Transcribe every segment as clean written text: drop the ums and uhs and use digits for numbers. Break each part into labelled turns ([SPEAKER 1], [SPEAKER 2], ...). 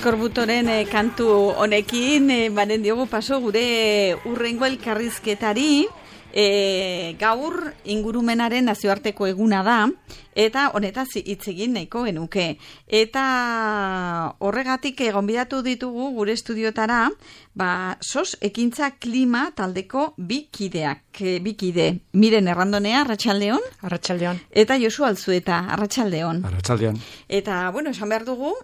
[SPEAKER 1] Eskorbutoren kantu honekin, baren diogu paso gure urrengo elkarrizketari, gaur ingurumenaren nazioarteko eguna da, eta honetaz hitz egin nahiko genuke. Eta horregatik gonbidatu ditugu gure estudiotara, SOS Ekintza Klima taldeko bi kide. Miren Errandonea, Arratsaldeon.
[SPEAKER 2] Arratsaldeon.
[SPEAKER 1] Eta Josu Alzueta, Arratsaldeon.
[SPEAKER 3] Arratsaldeon.
[SPEAKER 1] Eta, esan behar dugu,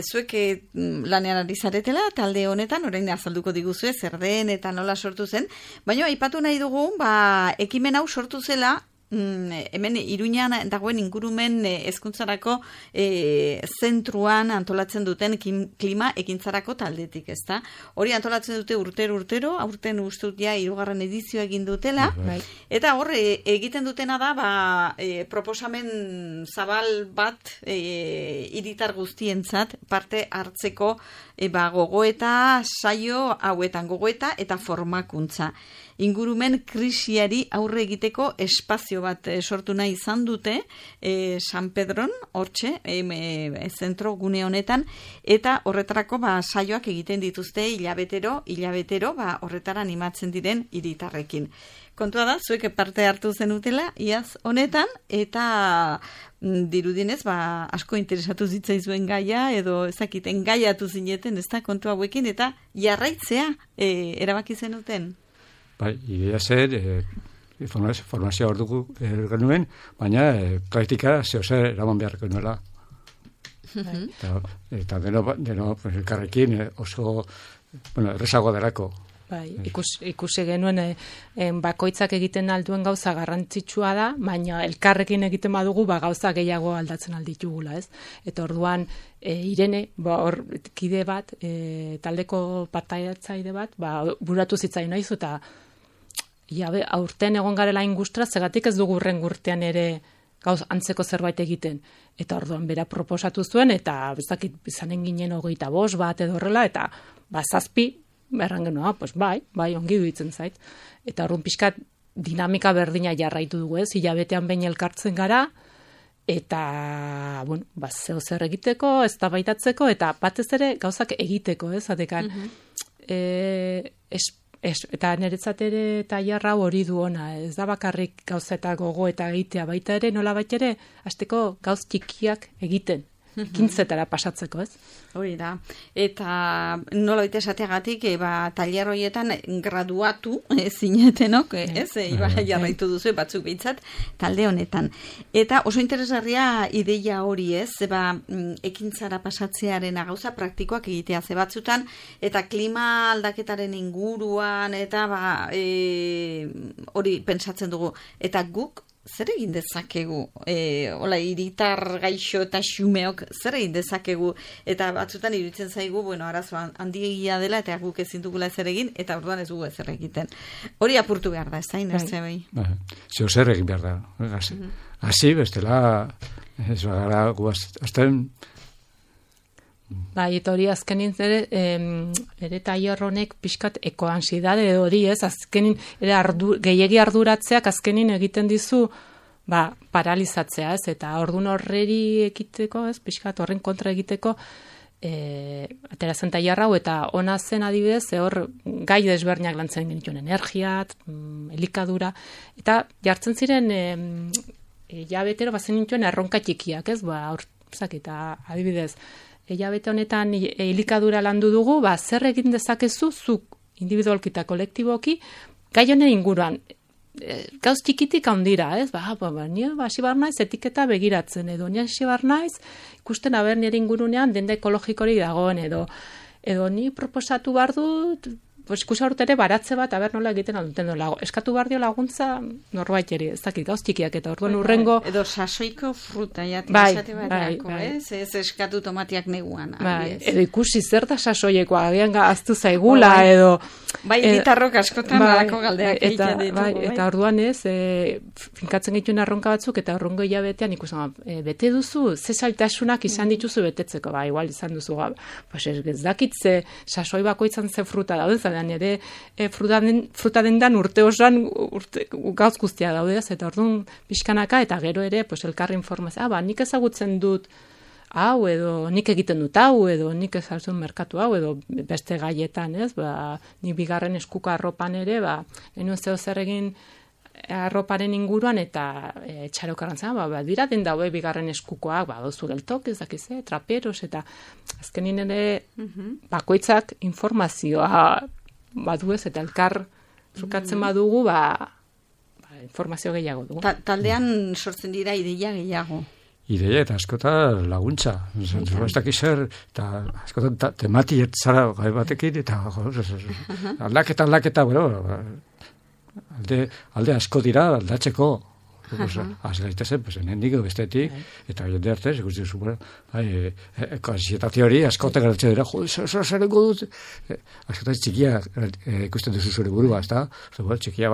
[SPEAKER 1] zuek lanean ari zaretela, talde honetan, orain azalduko diguzue, zer den eta nola sortu zen, baina aipatu nahi dugu, ekimen hau sortu zela, hemen Iruñan dagoen ingurumen hezkuntzarako zentruan antolatzen duten klima ekintzarako taldetik, ezta? Hori antolatzen dute urtero, aurten ustut ja 3. edizioa egin dutela, eta hor egiten dutena da proposamen zabal bat hiritar guztientzat parte hartzeko gogoeta saio hauetan, gogoeta eta formakuntza. Ingurumen krisiari aurre egiteko espazio bat sortu nahi izan dute San Pedron, hortxe, zentro gune honetan, eta horretarako saioak egiten dituzte hilabetero, horretara animatzen diren hiritarrekin. Kontua da, zuek parte hartu zenutela, iaz honetan, eta dirudinez, asko interesatu zitzaizuen gaia, edo ezakiten gaiatu zineten, ez da, kontua hauekin, eta jarraitzea erabaki zenuten.
[SPEAKER 3] Idea zer, formazioa hor dugu genuen, baina praktika zehozer eraman beharko nuela. Eta deno elkarrekin oso errezagoa derako.
[SPEAKER 2] Ikusi genuen bakoitzak egiten alduen gauza garrantzitsua da, baina elkarrekin egiten badugu gauza gehiago aldatzen alditugula, ez? Eta orduan Irene, hor kide bat, taldeko partaidetzaile bat, buratu zitzaien naiz, eta aurten egon garela ingustra, zegatik ez dugu urren urtean ere gauz antzeko zerbait egiten. Eta orduan bera proposatu zuen, eta bezakit izanen ginen 25 bat edo horrela, eta 7, erran genuen, bai, ongi duitzen zait. Eta orduan pixkat dinamika berdina jarraitu dugu, ez? Hilabetean behin elkartzen gara, eta, zeo zer egiteko, eztabaitatzeko, eta batez ere gauzak egiteko, ez? Atekan, eta niretzat ere tailerra hori du ona, ez da bakarrik gauza eta gogo eta egitea, baita ere, nola baita ere, hasteko gauz txikiak egiten, ekintzetara pasatzeko, ez?
[SPEAKER 1] Hori da, eta nola baita esateagatik, tailer horietan graduatu zinetenok, ez? Jarraitu duzu, batzuk behintzat, talde honetan. Eta oso interesgarria ideia hori, ez? Ekintzara pasatzearen gauza praktikoak egitea ze batzutan, eta klima aldaketaren inguruan, eta hori pentsatzen dugu. Eta guk zer egin dezakegu? Hiritar gaixo eta xumeok zer egin dezakegu? Eta batzutan iruditzen zaigu, arazoan handiegia dela, eta guk ezin dugula zer egin, eta orduan ez dugu ezer egiten. Hori apurtu behar da, ez da, inertzea bai?
[SPEAKER 3] Zeo zer egin behar da. Hasi, bestela, ez bagara guazten.
[SPEAKER 2] Eta hori azkenin ere tailer honek pixkat ekoansidade hori, ez? Azkenin gehiegi arduratzeak azkenin egiten dizu paralizatzea, ez? Eta ordun horreri ekiteko, ez? Pixkat horren kontra egiteko aterazen tailer hau, eta ona zen adibidez, hor gai desberdinak lantzen genituen, energiat, elikadura, eta jartzen ziren hilabetero bazen nituen erronka txikiak, ez? Eta adibidez, hilabete honetan elikadura landu dugu, zer egin dezakezu zuk individualki eta kolektiboki gai honen inguruan. Gauz txikitik handira, ez? Ni hasi bar naiz etiketa begiratzen, edo ni hasi bar naiz ikusten aber nire ingurunean denda ekologikori dagoen, edo ni proposatu bar dut, ikusi ere baratze bat, nola egiten alduten dola. Eskatu behar dio laguntza norbait eri, ez dakit, gauz txikiak, eta orduan urrengo...
[SPEAKER 1] Edo sasoiko fruta, esate bateako, ez eskatu tomatiak neguan.
[SPEAKER 2] Edo ikusi zer da sasoieko, agian aztu zaigula, edo...
[SPEAKER 1] Gitarrok askotan badako galdeak egiten ditugu.
[SPEAKER 2] Eta orduan ez, finkatzen gituen arronka batzuk, eta urrengo hilabetean ikusten, bete duzu, ze zailtasunak izan dituzu betetzeko, igual izan duzu, ez dakit ze sasoi bakoitzan ze fruta dauden, ere fruta dendan urte osan gauz guztia daude, eta orduan pixkanaka, eta gero ere elkarri informazioa, nik ezagutzen dut hau, edo nik egiten dut hau, edo nik ezaltzun merkatu hau, edo beste gaietan, ez? Ni bigarren eskuko arropan ere, genuen zeo zer egin arroparen inguruan, eta txarokarran zen, dira den daue bigarren eskukoak, dozu geltok, ez dakize, traperos, eta azkenin ere bakoitzak informazioa badu ez, eta elkar trukatzen badugu, informazio gehiago dugu.
[SPEAKER 1] Taldean sortzen dira ideia gehiago.
[SPEAKER 3] Ideia eta askota laguntza. Ez dakiz zer, eta askota temati zara gai batekin, eta aldaketa, alde asko dira aldatzeko. Az gaitezen, nendik bestetik, eta jende artez, ikusten zuen, ansietazio hori askote garatzen dira, zer dut, askote txikia ikusten duzu zure burua, ez da? Txikia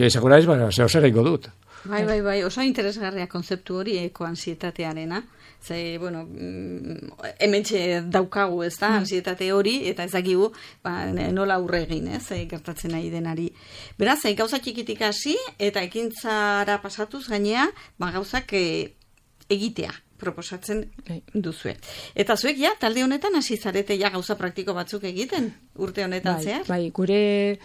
[SPEAKER 3] izango naiz, zer dut.
[SPEAKER 1] Bai, oso interesgarria konzeptu hori ekoansietatearena. Ze, hementxe daukagu, ez da, ansietate hori, eta ez dakigu, nola aurre egin, gertatzen nahi denari. Beraz, gauza txikitik hasi, eta ekintzara pasatuz gainea, gauzak egitea proposatzen duzue. Eta zuek, talde honetan hasi zarete gauza praktiko batzuk egiten, urte honetan zehar?
[SPEAKER 2] Bai, gure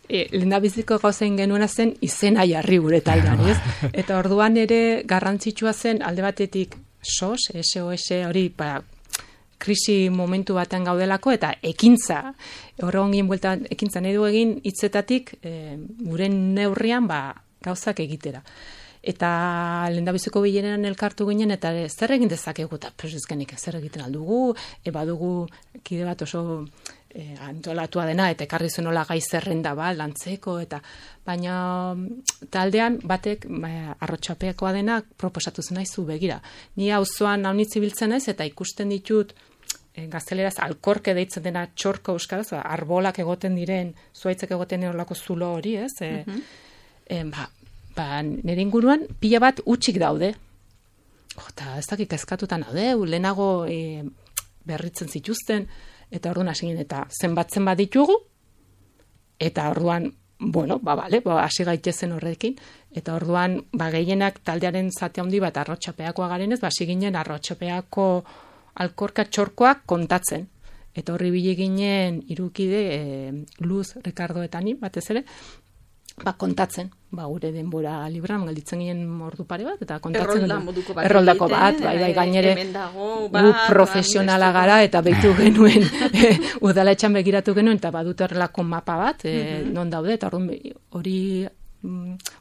[SPEAKER 2] lehendabiziko gauzain genuena zen izena jarri gure taldean, ez? Eta orduan ere garrantzitsua zen alde batetik SOS hori, krisi momentu batean gaudelako, eta ekintza, horregon ginen bueltan, ekintza nahi du egin hitzetatik gure neurrian gauzak egitera. Eta lehendabiziko bileran elkartu ginen, eta zer egin dezakegu, eta ezkenik zer egiten aldugu, badugu kide bat oso antolatua dena, eta ekarri zuenola gai zerrenda lantzeko, eta baina taldean batek arrotxapeakoa dena proposatu zen naizu begira. Ni auzoan haunitzi biltzen naiz, eta ikusten ditut gazteleraz alkorke deitzen dena txorko euskaraz, arbolak egoten diren, zuaitzek egoten erolako zulo hori, ez? Nire inguruan pila bat utxik daude. Eta ez dakik kezkatutan daude, lehenago berritzen zituzten, eta orduan hasi ginen, eta zenbatzen ditugu, eta orduan, hasi gaitezen horrekin, eta orduan, gehienak taldearen zate handi bat arrotxapeakoa garenez, hasi ginen arrotxapeako alkorka txorkoak kontatzen. Eta horri bile ginen irukide Luz, Ricardo eta ni, batez ere, kontatzen, gure denbora libran, galditzen ginen ordu pare bat, eta kontatzen erroldako bat, gainere gu profesionala gara, eta behitu genuen, udaletxan begiratu genuen, eta badut errelako mapa bat, non daude, eta hori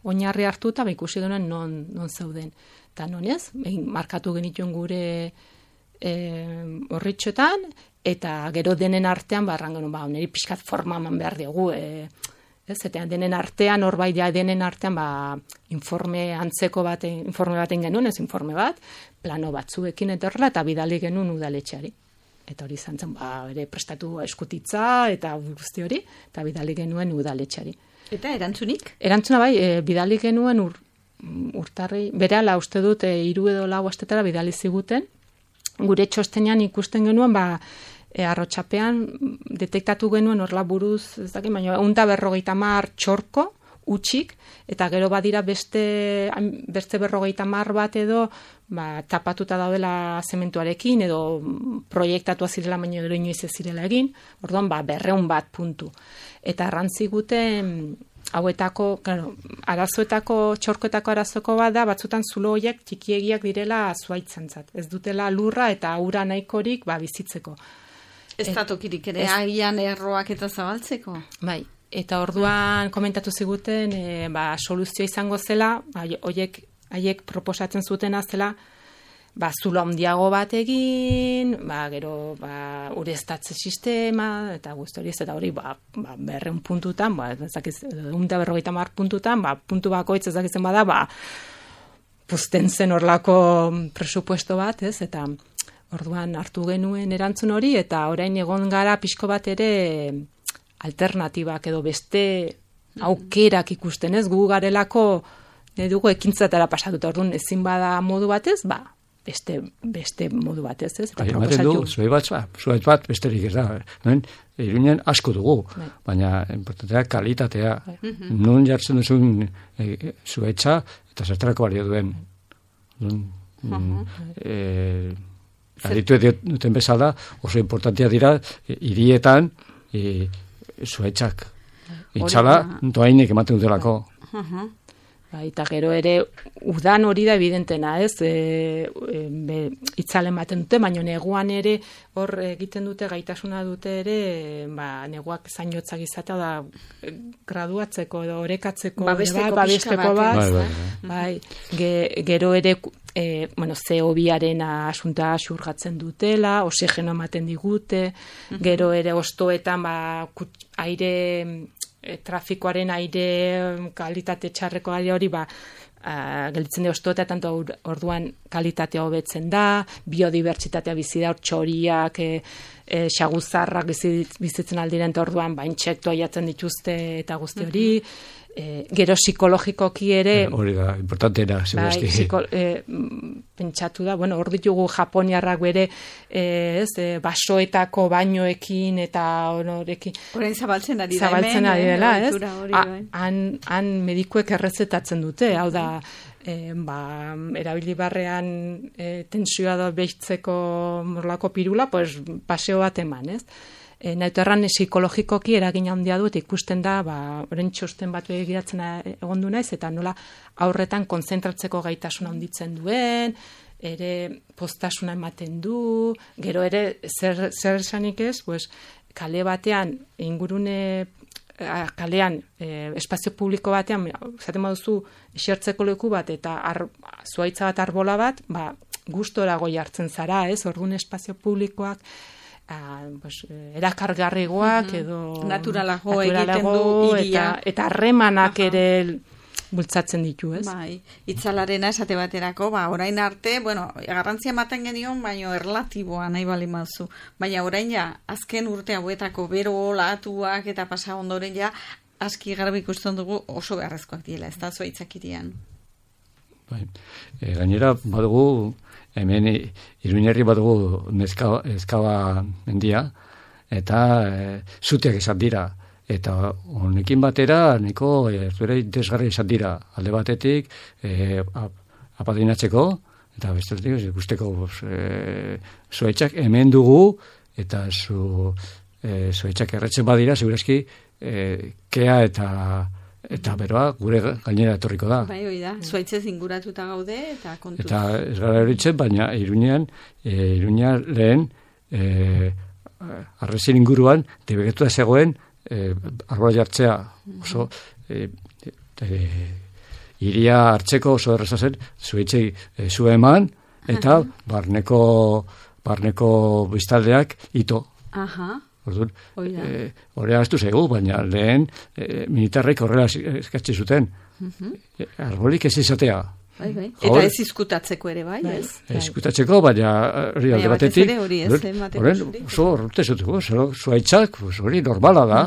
[SPEAKER 2] oinarri hartu, eta ikusi genuen non zauden. Eta non ez, markatu genituen gure horritxotan, eta gero denen artean, barran genuen, niri pixkat forma eman behar diogu, eta denen artean, denen artean, informe antzeko informe baten genuen, ez informe bat, plano batzuekin etorrela, eta bidali genuen udaletxeari. Eta hori izan zen, ere prestatu eskutitza, eta guzti hori, eta bidali genuen udaletxeari.
[SPEAKER 1] Eta erantzunik?
[SPEAKER 2] Erantzuna bidali genuen urtarri, berehala uste dut, 3 edo 4 astetara bidali ziguten, gure txostenean ikusten genuen, arrotxapean detektatu genuen horla buruz, ez dakit, baina 150 txorko utxik, eta gero badira beste 50 bat edo tapatuta daudela zementuarekin, edo proiektatua zirela, baina gero inoiz ez zirela egin, orduan 200 bat puntu. Eta arrantziguten hauetako, arazoetako, txorkoetako arazoko bada, batzutan zulo horiek txikiegiak direla zuaitzantzat. Ez dutela lurra eta aura nahikorik bizitzeko.
[SPEAKER 1] Ez da tokirik ere, agian erroak eta zabaltzeko?
[SPEAKER 2] Bai, eta orduan komentatu ziguten, soluzioa izango zela, haiek proposatzen zutena zela, zulo handiago bat egin, gero ureztatze sistema, eta guzti hori ez, eta hori 200 puntutan, 150 puntutan, puntu bakoitz ezakitzen bada, puzten zen horlako presupuesto bat, ez, eta orduan hartu genuen erantzun hori, eta orain egon gara pixko bat ere alternatibak edo beste aukerak ikusten, ez, gu garelako dugu ekintzatara pasatuta, orduan ezin bada modu batez, beste modu batez, ez?
[SPEAKER 3] Ematen du, zuhaitz bat besterik ez da. Iruinen asko dugu, baina importantea kalitatea. Nun jartzen duzun zuhaitza eta zertarako balio duen. Aditu duten bezala, oso importantia dira, hirietan, zuaitzak. Itxala, doainik ematen dutelako.
[SPEAKER 2] Eta gero ere, udan hori da evidentena, ez? Itzalen baten dute, baina neguan ere hor egiten dute, gaitasuna dute ere, neguak zainotzak izatea da graduatzeko edo orekatzeko, babesteko bat. Gero ere, CO2-aren asunta xurgatzen dutela, oxigeno ematen digute, gero ere ostoetan aire trafikoaren aire kalitate txarreko aire hori gelditzen da ostoeta, tanto orduan kalitatea hobetzen da, biodibertsitatea bizi da, txoriak, xaguzarrak bizitzen aldiren, eta orduan intsektoa jatzen dituzte eta guzti hori, gero psikologikoki ere
[SPEAKER 3] hori da, importantena
[SPEAKER 2] pentsatu da, hor ditugu japoniarrak bere basoetako bainoekin eta honorekin
[SPEAKER 1] orain zabaltzen ari
[SPEAKER 2] dela, han medikuek errezetatzen dute, hau da erabili barrean tensioa da behitzeko morlako pirula, paseo bat eman, ez? Nahitu erran psikologikoki eragin handia dut ikusten da, orain txosten batu egiratzen egondu naiz, eta nola aurretan konzentratzeko gaitasuna handitzen duen, ere postasuna ematen du, gero ere zer esanik ez, kale batean, kalean, espazio publiko batean, zaten baduzu, esertzeko leku bat, eta zuaitza bat arbola bat, gustora goi hartzen zara, ez, orduan espazio publikoak, erakargarrigoak edo
[SPEAKER 1] naturalago egiten du iria
[SPEAKER 2] eta harremanak ere bultzatzen ditu, ez?
[SPEAKER 1] Itzalarena esate baterako, orain arte, garrantzia ematen genion, baina erlatiboa nahi bali mazu. Baina orain azken urte hauetako bero olatuak eta pasa ondoren aski garbi ikusten dugu oso beharrezkoak diela, ez da zuaitzak irian.
[SPEAKER 3] Gainera, badugu hemen Iruñerri badugu ezkaba mendia, eta zuteak izan dira. Eta honekin batera, niko desgarri izan dira. Alde batetik, apadrinatzeko, eta bestetik, ikusteko zuaitzak hemen dugu, eta zuaitzak erretzen badira, segurazki, kea eta beroa gure gainera etorriko da.
[SPEAKER 1] Hori da, zuaitzez inguratuta gaude eta kontuz.
[SPEAKER 3] Eta ez gara horitzen, baina Iruña lehen arrezien inguruan debegetua zegoen arbola jartzea oso iria hartzeko oso erreza zen, zuaitzei zu eman eta barneko biztaldeak ito. Orduan, horrela ez du zego, baina lehen militarrek horrela eskatzi zuten. Arbolik ez izatea.
[SPEAKER 1] Eta ez izkutatzeko ere, bai?
[SPEAKER 3] Izkutatzeko, baina hori alde batetik. Horren, oso horrete zutuko, zuaitzak, hori normala da.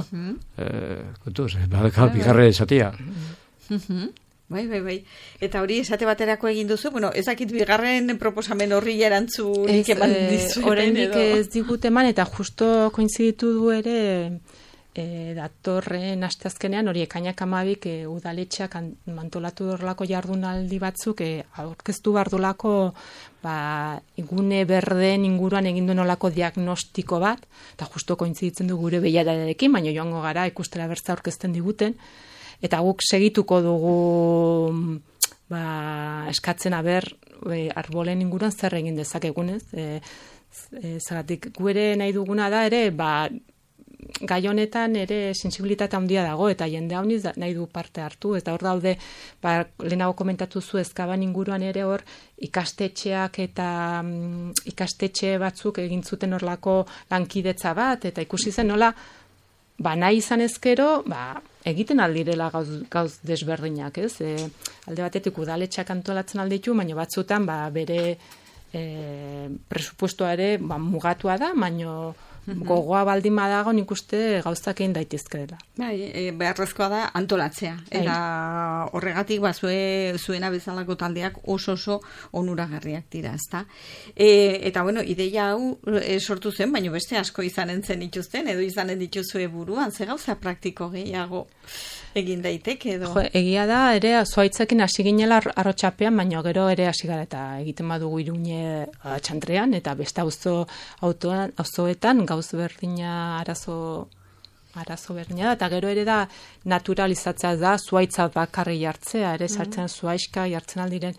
[SPEAKER 3] Kontuz, badaka bigarre izatea.
[SPEAKER 1] Bai. Eta hori esate baterako egin duzu, ezakit bigarren proposamen horri erantzunik eman dizu.
[SPEAKER 2] Oraindik ez digut eman, eta justo koinziditu du ere datorren asteazkenean, hori ekainak 12 udaletxeak mantolatu dorlako jardunaldi batzuk, aurkeztu bardulako igune berden inguruan egin duen olako diagnostiko bat, eta justo koinziditzen du gure behiararekin, baina joango gara ikustera bertza aurkezten diguten, eta guk segituko dugu eskatzen arbolen inguruan zer egin dezakegunez. Zeratik, gure nahi duguna da ere, gai honetan ere sensibilitate handia dago, eta jende hauniz nahi du parte hartu, eta hor daude, lehenago komentatu zu ezkaban inguruan ere hor, ikastetxeak eta ikastetxe batzuk egin zuten horlako lankidetza bat, eta ikusi zen nola, nahi izan ezkero, egiten aldirela gauz desberdinak, ez? Alde batetik udaletxeak antolatzen alditu, baina batzutan bere presupuestoa ere mugatua da, baina gogoa baldin badago nik uste gauzak egin daitezkeela.
[SPEAKER 1] Bai, beharrezkoa da antolatzea. Eta horregatik zuena bezalako taldeak oso onuragarriak dira, ezta? Eta bueno, ideia hau sortu zen, baina beste asko izanen zen dituzten, edo izanen dituzue buruan, ze gauza praktiko gehiago egin daiteke edo?
[SPEAKER 2] Egia da, ere zuaitzekin hasi ginela arrotxapean, baina gero ere hasi gara eta egiten badugu Iruñe txantrean, eta beste auzoetan gauz berdina arazo berdina da, eta gero ere da naturalizatzea da, zuaitza bakarri jartzea, ere sartzen zuaizka jartzen aldiren.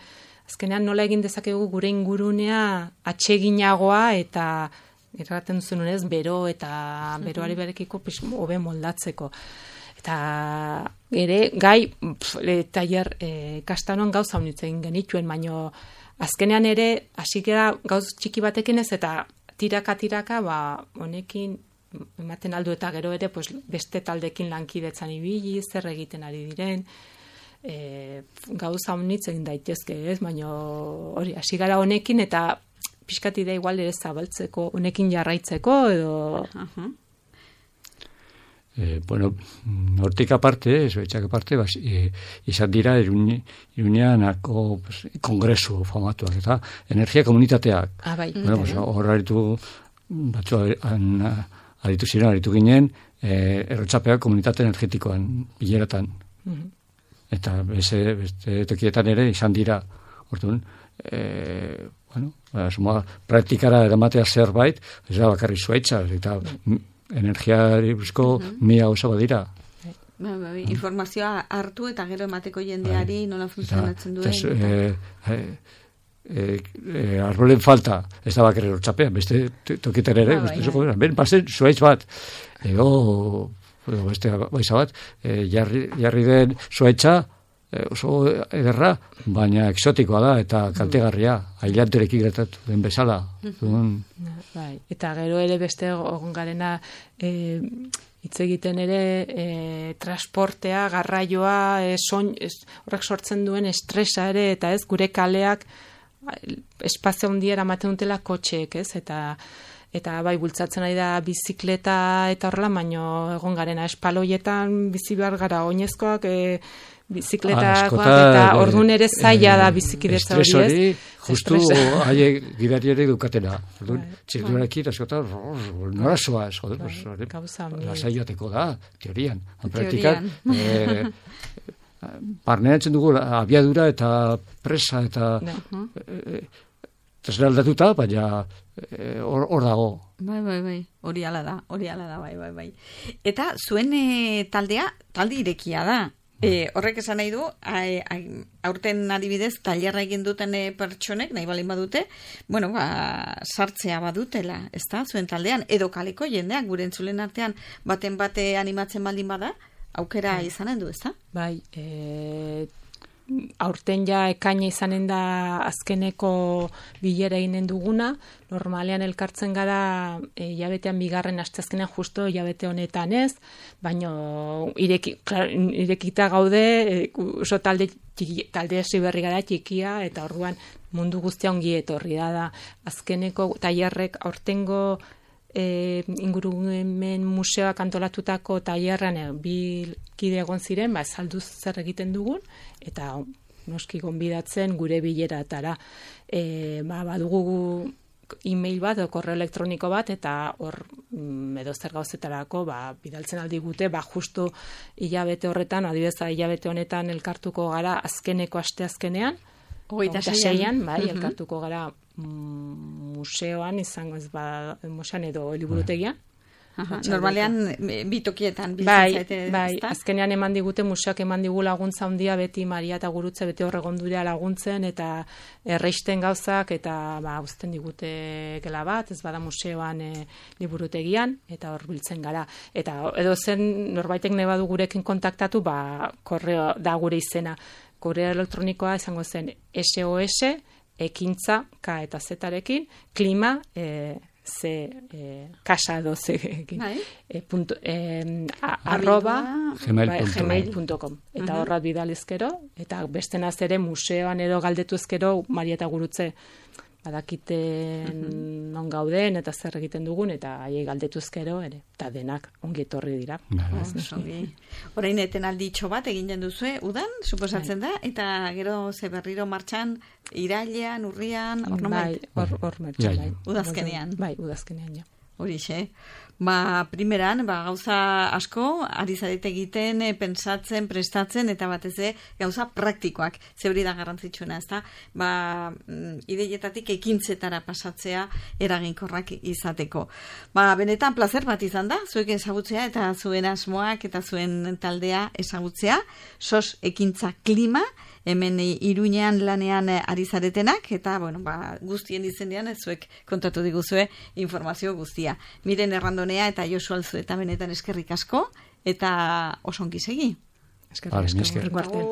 [SPEAKER 2] Azkenean nola egin dezakegu gure ingurunea atseginagoa eta erraten duzunez bero eta beroari berekiko hobe moldatzeko. Eta ere gai tailer kastanon gauza honitz egin genituen, baino azkenean ere hasi gara gauz txiki batekin ez eta tiraka honekin ematen aldu eta gero ere beste taldekin lankidetzan ibili, zer egiten ari diren, gauza honitz egin daitezke, ez? Baina hori hasi gara honekin eta pixkat idea igual ere zabaltzeko, honekin jarraitzeko edo...
[SPEAKER 3] Bueno, hortik aparte, zuaitzak aparte, izan dira Iruñeanako kongresu famatuak eta energia komunitateak.
[SPEAKER 2] Bai.
[SPEAKER 3] Bueno, hor aritu ginen errotxapeak komunitate energetikoan bileratan. Eta beste tokietan ere izan dira, orduan, praktikara eramatea zerbait, ez da bakarri zuaitza, eta energiari buruzko mila gauza badira.
[SPEAKER 1] Informazioa hartu eta gero emateko jendeari nola funtzionatzen duen.
[SPEAKER 3] Arbolen falta, ez da bakarri errotxapean, beste tokietan ere, ben pasen zuaitz bat, beste baiza bat, jarri den zuaitza, oso ederra, baina exotikoa da eta kaltegarria, ailanterekin gertatu den bezala.
[SPEAKER 2] Bai, eta gero ere beste egon garena hitz egiten ere transportea, garraioa, horrek sortzen duen estresa ere, eta ez gure kaleak espazio handiera ematen dutela kotxeek, ez? Eta bai, bultzatzen ari da bizikleta eta horrela, baino egon garena espaloietan bizi behar gara oinezkoak, bizikletak eta orduan ere zaila da bizikidetza hori, ez?
[SPEAKER 3] Estres hori, justu haiek gidari ere dukatena. Txirduarekin, askotan, nora zoaz, lasai jateko da, teorian. Praktikan, barneatzen dugu abiadura eta presa eta trasladatuta, baina hor dago.
[SPEAKER 1] Bai, hori ala da, bai. Eta zuen talde irekia da. Horrek esan nahi du, aurten adibidez, tailerra egin duten pertsonek, nahi balin badute, sartzea badutela, ez da, zuen taldean, edo kaleko jendeak, gure entzulen artean, baten bate animatzen baldin bada, aukera izanen du, ez da?
[SPEAKER 2] Bai, aurten ja ekaina izanen da azkeneko bilera eginen duguna, normalean elkartzen gara hilabetean bigarren asteazkenean justo hilabete honetan ez, baina irekita gaude, oso talde hasi berri gara txikia, eta orduan mundu guztia ongi etorri da. Azkeneko tailerrek aurtengo ingurumen museoak antolatutako tailerrean bi kide egon ziren, salduz zer egiten dugun, eta noski gonbidatzen gure bileratara. Badugu e-mail bat, korreo elektroniko bat, eta hor edo zer gauzetarako bidaltzen aldi gute, justu hilabete horretan, adibidez hilabete honetan elkartuko gara azkeneko asteazkenean, 26an, elkartuko gara museoan, izango ez museoan edo liburutegian.
[SPEAKER 1] Normalean bitokietan bizitzen zaite.
[SPEAKER 2] Bai, azkenean eman digute, museoak eman digu laguntza handia, beti Maria eta Gurutze beti horregondurea laguntzen, eta erreisten gauzak, eta uzten digute gela bat, ez bada museoan liburutegian, eta hor biltzen gara. Eta edo zen norbaitek nahi badu gurekin kontaktatu, korreo da gure izena. Korreo elektronikoa izango zen SOS, ekintza, K eta Z-arekin, klima, kasa edo zekin, @gmail.com. Eta horra bidalizkero, eta bestenaz ere museoan edo galdetu ezkero, Maria eta Gurutze badakiten non gauden eta zer egiten dugun, eta haiei galdetuzkero ere, eta denak ongi etorri dira.
[SPEAKER 1] Orain etenalditxo bat eginen duzue, udan, suposatzen da, eta gero ze berriro martxan, irailean, urrian, hor nomait?
[SPEAKER 2] Hor martxan, bai.
[SPEAKER 1] Udazkenean.
[SPEAKER 2] Bai, udazkenean, ja.
[SPEAKER 1] Horixe. Primeran, gauza asko, ari zarete egiten, pentsatzen, prestatzen, eta batez gauza praktikoak, zeuri da garrantzitsuna, ezta? Ideietatik ekintzetara pasatzea eraginkorrak izateko. Benetan plazer bat izan da, zuek ezagutzea eta zuen asmoak eta zuen taldea ezagutzea, SOS Ekintza Klima, hemen Iruñean lanean ari zaretenak, eta, guztien izenean zuek kontatu diguzue informazio guztia. Miren Errandonea eta Josu Alzueta benetan eskerrik asko, eta oso ongi segi.
[SPEAKER 2] Eskerrik asko.